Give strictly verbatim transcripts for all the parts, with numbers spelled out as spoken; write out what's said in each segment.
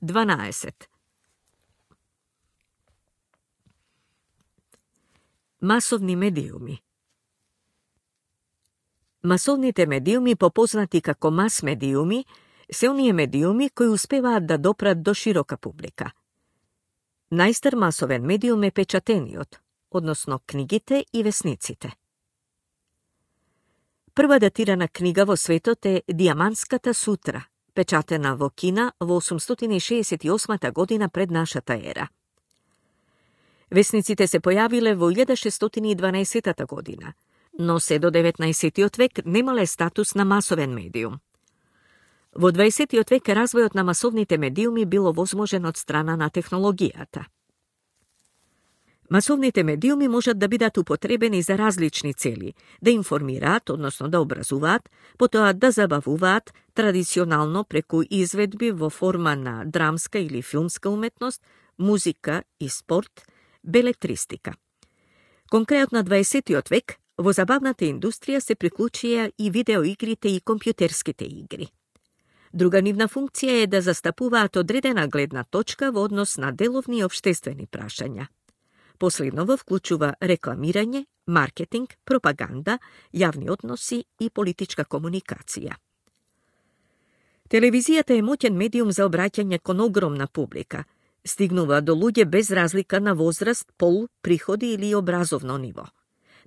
дванаесет. Масовни медиуми. Масовните медиуми, попознати како мас медиуми, се оние медиуми кои успеваат да допрат до широка публика. Најстар масовен медиум е печатениот, односно книгите и весниците. Прва датирана книга во светот е Диамантската сутра, печатена во Кина во осумстотини и шеесет и осма година пред нашата ера. Весниците се појавиле во илјада шестстотини и дванаесета година, но се до деветнаесеттиот век немале статус на масовен медиум. Во дваесеттиот век развојот на масовните медиуми било возможен од страна на технологијата. Масовните медиуми можат да бидат употребени за различни цели, да информираат, односно да образуваат, потоа да забавуваат, традиционално преку изведби во форма на драмска или филмска уметност, музика и спорт, белетристика. Конкретно на дваесеттиот век, во забавната индустрија се приклучија и видеоигрите и компјутерските игри. Друга нивна функција е да застапуваат одредена гледна точка во однос на деловни и општествени прашања. Последново вклучува рекламирање, маркетинг, пропаганда, јавни односи и политичка комуникација. Телевизијата е моќен медиум за обраќање кон огромна публика. Стигнува до луѓе без разлика на возраст, пол, приходи или образовно ниво.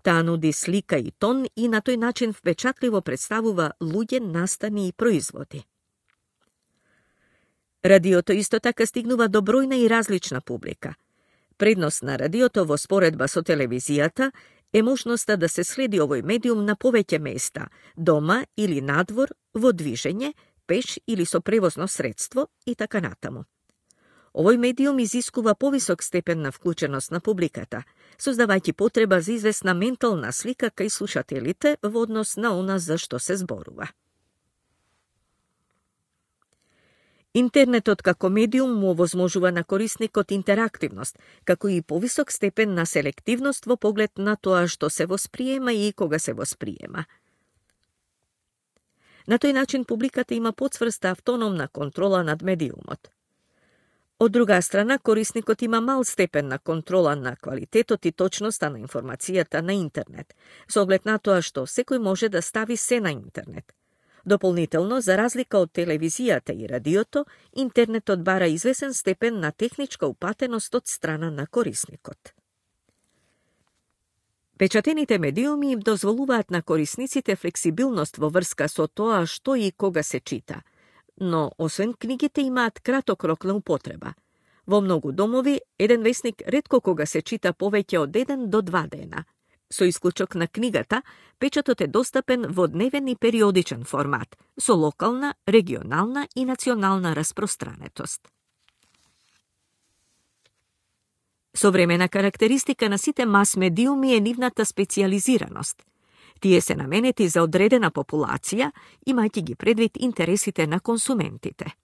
Таа нуди слика и тон и на тој начин впечатливо представува луѓе, настани и производи. Радиото исто така стигнува до бројна и различна публика. Предност на радиото во споредба со телевизијата е можноста да се следи овој медиум на повеќе места, дома или надвор, во движење, пеш или со превозно средство и така натаму. Овој медиум изискува повисок степен на вклученост на публиката, создавајќи потреба за известна ментална слика кај слушателите во однос на она за што се зборува. Интернетот како медиум му овозможува на корисникот интерактивност, како и повисок степен на селективност во поглед на тоа што се восприема и кога се восприема. На тој начин публиката има подсврста автономна контрола над медиумот. Од друга страна, корисникот има мал степен на контрола на квалитетот и точноста на информацијата на интернет, со оглед на тоа што секој може да стави се на интернет. Дополнително, за разлика од телевизијата и радиото, интернетот бара извесен степен на техничка упатеност од страна на корисникот. Печатените медиуми им дозволуваат на корисниците флексибилност во врска со тоа што и кога се чита, но освен книгите имаат краток рок на употреба. Во многу домови, еден весник ретко кога се чита повеќе од еден до два дена. Со исклучок на книгата, печатот е достапен во дневен и периодичен формат, со локална, регионална и национална распространетост. Современа карактеристика на сите мас медиуми е нивната специализираност. Тие се наменети за одредена популација, имајќи ги предвид интересите на консументите.